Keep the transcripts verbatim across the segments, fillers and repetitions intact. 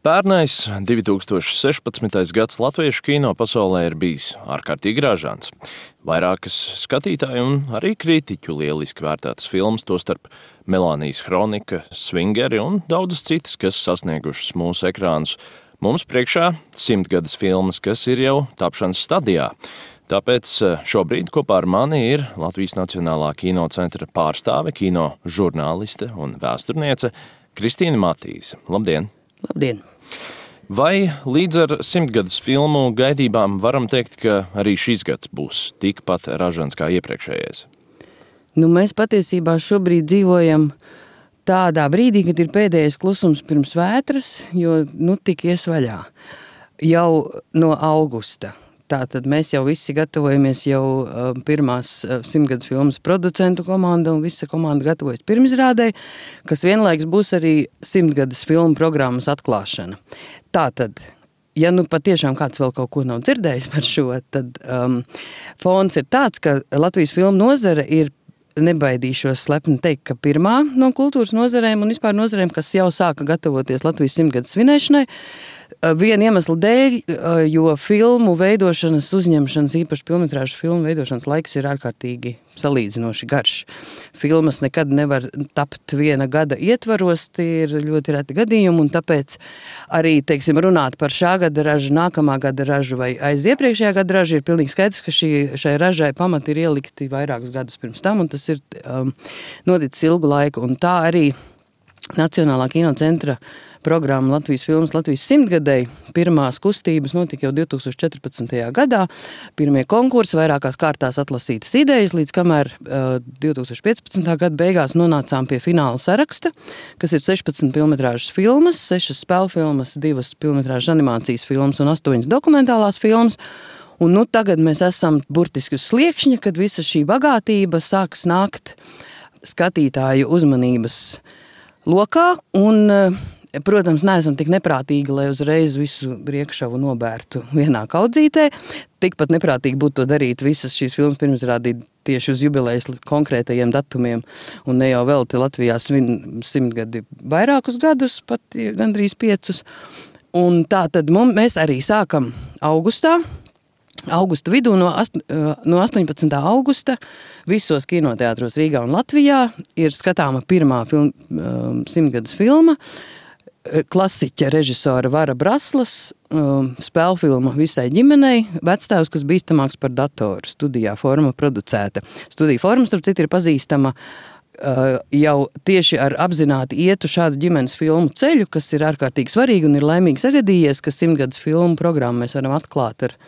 Pērnais divi tūkstoši sešpadsmitais gads latviešu kino pasaulē ir bijis ārkārtīgi ražants. Vairākas skatītāju un arī kritiķu lieliski vērtētas filmas, tostarp Melānijas Hronika, Svingeri un daudzas citas, kas sasniegušas mūsu ekrānus. Mums priekšā simtgades filmas, kas ir jau tapšanas stadijā. Tāpēc šobrīd kopā ar mani ir Latvijas Nacionālā kino centra pārstāve, kino žurnāliste un vēsturniece Kristīna Matīse. Labdien! Labdien! Vai līdz ar simtgades filmu gaidībām varam teikt, ka arī šis gads būs tikpat ražants kā iepriekšējais? Nu, mēs patiesībā šobrīd dzīvojam tādā brīdī, kad ir pēdējais klusums pirms vētras, jo nu tik ies vaļā jau no augusta. Tātad mēs jau visi gatavojamies, jau uh, pirmās uh, simtgades filmas producentu komanda un visa komanda gatavojas pirmizrādei, kas vienlaiks būs arī simtgades filmu programmas atklāšana. Tātad, ja nu patiešām kāds vēl kaut ko nav dzirdējis par šo, tad um, fons ir tāds, ka Latvijas filmu nozare ir, nebaidīšos slepni teikt, ka pirmā no kultūras nozarēm un vispār nozarēm, kas jau sāka gatavoties Latvijas simtgades svinēšanai, viena iemesla dēļ, jo filmu veidošanas, uzņemšanas, īpaši filmetrāžu filmu veidošanas laiks ir ārkārtīgi salīdzinoši garš. Filmas nekad nevar tapt viena gada ietvaros, tie ir ļoti reti gadījumi, un tāpēc arī, teiksim, runāt par šā gada ražu, nākamā gada ražu vai aiz iepriekšējā gada ražu ir pilnīgi skaidrs, ka šī, šai ražai pamati ir ielikti vairākus gadus pirms tam, un tas ir um, noticis ilgu laiku, un tā arī Nacionālā kino centra programma Latvijas filmas Latvijas simtgadei. Pirmās kustības notika jau divi tūkstoši četrpadsmitajā gadā. Pirmie konkursi, vairākās kārtās atlasītas idejas, līdz kamēr uh, divi tūkstoši piecpadsmitā gada beigās nonācām pie fināla saraksta, kas ir sešpadsmit filmetrāžas filmas, sešas spēļu filmas, divas filmetrāžas animācijas filmas un astoņas dokumentālās filmas. Un nu tagad mēs esam burtiski uz sliekšņa, kad visa šī bagātība sāks nākt skatītāju uzmanības lokā, un, protams, neesam tik neprātīgi, lai uzreiz visu priekšavu nobērtu vienā kaudzītē. Tikpat neprātīgi būtu to darīt visas šīs filmas pirmizrādīt tieši uz jubilejas konkrētajiem datumiem, un ne jau vēl te Latvijā svin simtgadi vairākus gadus, pat gandrīz piecus. Un tā tad mums, mēs arī sākam augustā, Augusta vidū no, ast, no astoņpadsmitā augusta visos kinoteātros Rīgā un Latvijā ir skatāma pirmā film, um, simtgades filma, klasiķa režisora Vara Braslas, um, spēlfilma visai ģimenei, Vectēvs, kas bīstamāks par datoru, studijā forma producēta. Studija forma, starp citu, ir pazīstama uh, jau tieši ar apzināti ietu šādu ģimenes filmu ceļu, kas ir ārkārtīgi svarīgi un ir laimīgi sagadījies, ka simtgades filmu programmu mēs varam atklāt ar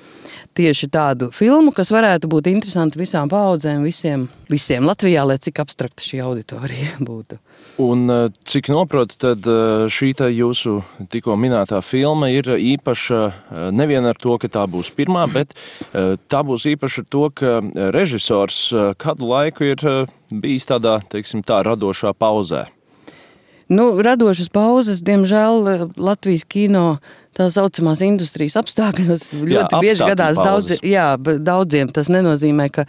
tieši tādu filmu, kas varētu būt interesanti visām paaudzēm, visiem, visiem Latvijā, lai cik abstrakta šī auditorija būtu. Un cik noprotu, tad šī tā jūsu tikko minētā filma ir īpaša nevien ar to, ka tā būs pirmā, bet tā būs īpaša ar to, ka režisors kādu laiku ir bijis tādā, teiksim, tā radošā pauzē. Nu, radošas pauzes, diemžēl, Latvijas kino tā saucamās industrijas apstākļos ļoti jā, bieži gadās daudz, jā, daudziem. Tas nenozīmē, ka,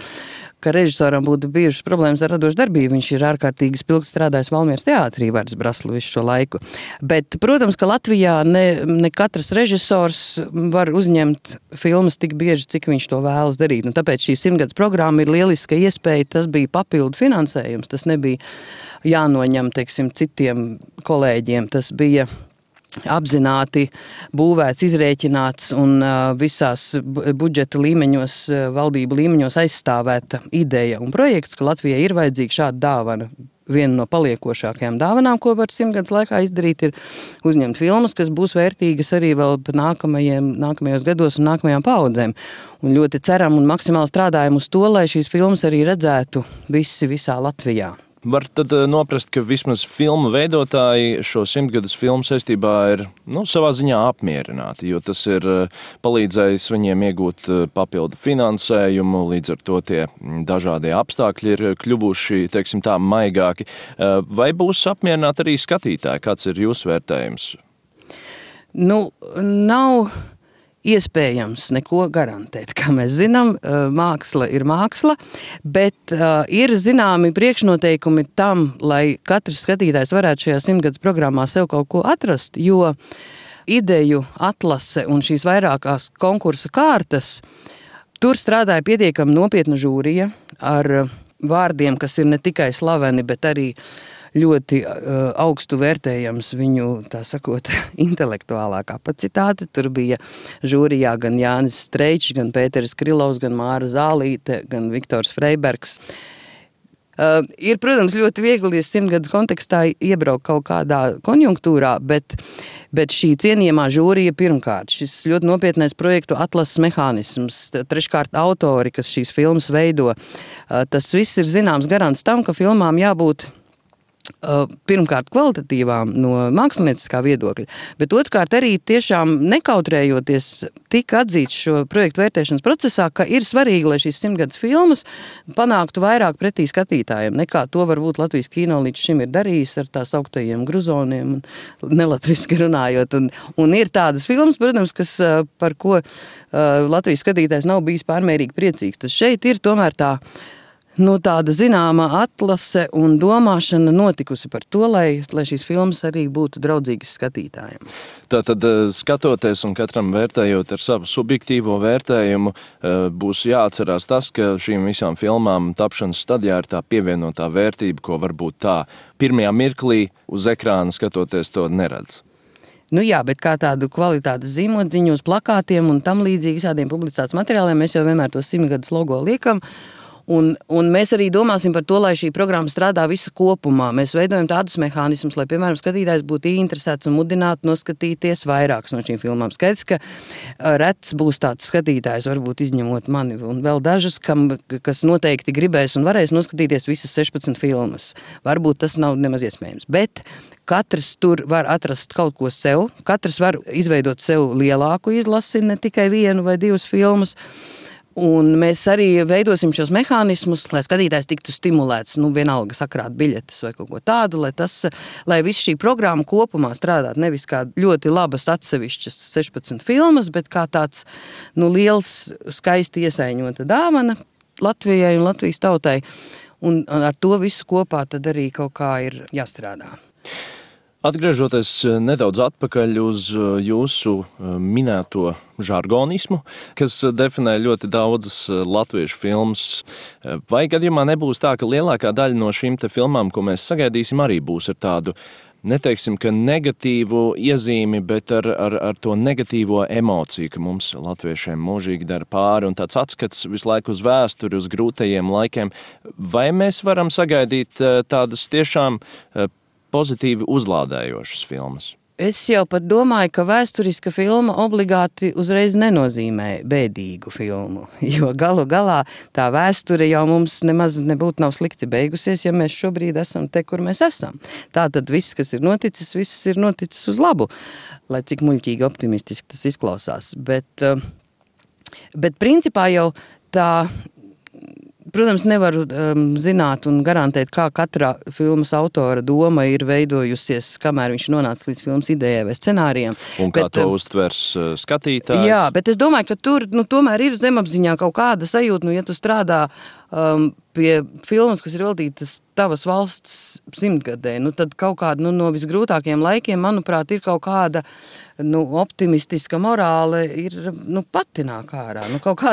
ka režisoram būtu bijušas problēmas ar radošu darbību. Viņš ir ārkārtīgi spilgti strādājis Valmieras teātrī Vārds Braslu visu šo laiku. Bet, protams, ka Latvijā ne, ne katrs režisors var uzņemt filmas tik bieži, cik viņš to vēlas darīt. Un tāpēc šī simtgades programma ir lieliska iespēja. Tas bija papildu finansējums. Tas nebija jānoņem, teiksim, citiem kolēģiem. Tas bija apzināti būvēts, izrēķināts un uh, visās budžeta līmeņos, uh, valdību līmeņos aizstāvēta ideja un projekts, ka Latvijai ir vajadzīga šāda dāvana. Viena no paliekošākajām dāvanām, ko var simtgades laikā izdarīt, ir uzņemt filmas, kas būs vērtīgas arī vēl nākamajiem, nākamajos gados un nākamajām paaudzēm. Un ļoti ceram un maksimāli strādājam uz to, lai šīs filmas arī redzētu visi visā Latvijā. Var tad noprast, ka vismaz filmu veidotāji šo simtgades filmu saistībā ir nu, savā ziņā apmierināti, jo tas ir palīdzējis viņiem iegūt papildu finansējumu, līdz ar to tie dažādie apstākļi ir kļuvuši, teiksim tā, maigāki. Vai būs apmierināti arī skatītāji? Kāds ir jūsu vērtējums? Nu, nav iespējams neko garantēt. Kā mēs zinām, māksla ir māksla, bet ir zināmi priekšnoteikumi tam, lai katrs skatītājs varētu šajā simtgades programmā sev kaut ko atrast, jo ideju atlase un šīs vairākās konkursa kārtas, tur strādāja pietiekami nopietna žūrija ar vārdiem, kas ir ne tikai slaveni, bet arī ļoti uh, augstu vērtējams viņu, tā sakot, intelektuālā kapacitāte. Tur bija žūrijā gan Jānis Streičs, gan Pēteris Krilovs, gan Māra Zālīte, gan Viktors Freibergs. Uh, ir, protams, ļoti viegli simtgadus kontekstā iebraukt kaut kādā konjunktūrā, bet, bet šī cienījamā žūrija pirmkārt, šis ļoti nopietnais projektu atlases mehānisms, treškārt autori, kas šīs filmas veido, uh, tas viss ir zināms garants tam, ka filmām jābūt pirmkārt kvalitatīvām no mākslinieckā viedokļa, bet otrkārt arī tiešām nekautrējoties tika atzīts šo projektu vērtēšanas procesā, ka ir svarīgi, lai šīs simtgadus filmas panāktu vairāk pretī skatītājiem, nekā to varbūt Latvijas kino līdz šim ir darījis ar tās augtajiem gruzoniem un nelatviski runājot. Un, un ir tādas filmas, protams, kas, par ko Latvijas skatītājs nav bijis pārmērīgi priecīgs. Tas šeit ir tomēr tā Nu, tāda zināma atlase un domāšana notikusi par to, lai, lai šīs filmas arī būtu draudzīgas skatītājiem. Tātad, skatoties un katram vērtējot ar savu subjektīvo vērtējumu, būs jāatcerās tas, ka šīm visām filmām tapšanas stadijā ir tā pievienotā vērtība, ko varbūt tā pirmajā mirklī uz ekrāna skatoties to neredz. Nu jā, bet kā tādu kvalitātes zīmodziņu uz plakātiem un tam līdzīgi visādiem publicitātes materiāliem, mēs jau vienmēr to simtgadus logo liekam. Un, un mēs arī domāsim par to, lai šī programma strādā visa kopumā. Mēs veidojam tādus mehānismus, lai, piemēram, skatītājs būtu interesēts un mudinātu noskatīties vairākas no šīm filmām. Skaidrs, ka rets būs tāds skatītājs, varbūt izņemot mani un vēl dažas, kam, kas noteikti gribēs un varēs noskatīties visas sešpadsmit filmas. Varbūt tas nav nemaz iespējams, bet katrs tur var atrast kaut ko sev, katrs var izveidot sev lielāku izlasi, ne tikai vienu vai divas filmas. Un mēs arī veidosim šos mehānismus, lai skatītājs tiktu stimulēts, nu vienalga sakrāt biļetes vai kaut ko tādu, lai tas, lai viss šī programma kopumā strādāt nevis kā ļoti labas atsevišķas sešpadsmit filmas, bet kā tāds, nu, liels, skaisti iesaiņota dāvana Latvijai un Latvijas tautai. Un ar to visu kopā tad arī kaut kā ir jāstrādā. Atgriežoties nedaudz atpakaļ uz jūsu minēto žargonismu, kas definē ļoti daudzas latviešu filmas, vai gadījumā nebūs tā, ka lielākā daļa no šīm te filmām, ko mēs sagaidīsim, arī būs ar tādu, neteiksim, ka negatīvu iezīmi, bet ar, ar, ar to negatīvo emociju, ka mums latviešiem mūžīgi dara pāri un tāds atskats visu laiku uz vēsturi, uz grūtajiem laikiem. Vai mēs varam sagaidīt tādas tiešām pozitīvi uzlādējošas filmas? Es jau pat domāju, ka vēsturiska filma obligāti uzreiz nenozīmē bēdīgu filmu, jo galu galā tā vēsture jau mums nemaz nebūtu nav slikti beigusies, ja mēs šobrīd esam te, kur mēs esam. Tātad viss, kas ir noticis, viss ir noticis uz labu, lai cik muļķīgi optimistiski tas izklausās. Bet, bet principā jau tā... Protams, nevaru um, zināt un garantēt, kā katra filmas autora doma ir veidojusies, kamēr viņš nonāca līdz filmas idejai vai scenārijam. Un kā bet, to um, uztvers uh, skatītājs? Jā, bet es domāju, ka tur nu, tomēr ir zemapziņā kaut kāda sajūta, nu, ja tu strādā um, pie filmas, kas ir veltītas tavas valsts simtgadē, nu, tad kaut kāda nu, no visgrūtākajiem laikiem, manuprāt, ir kaut kāda nu, optimistiska morāle ir nu, pati nāk ārā. Nu, kaut kāds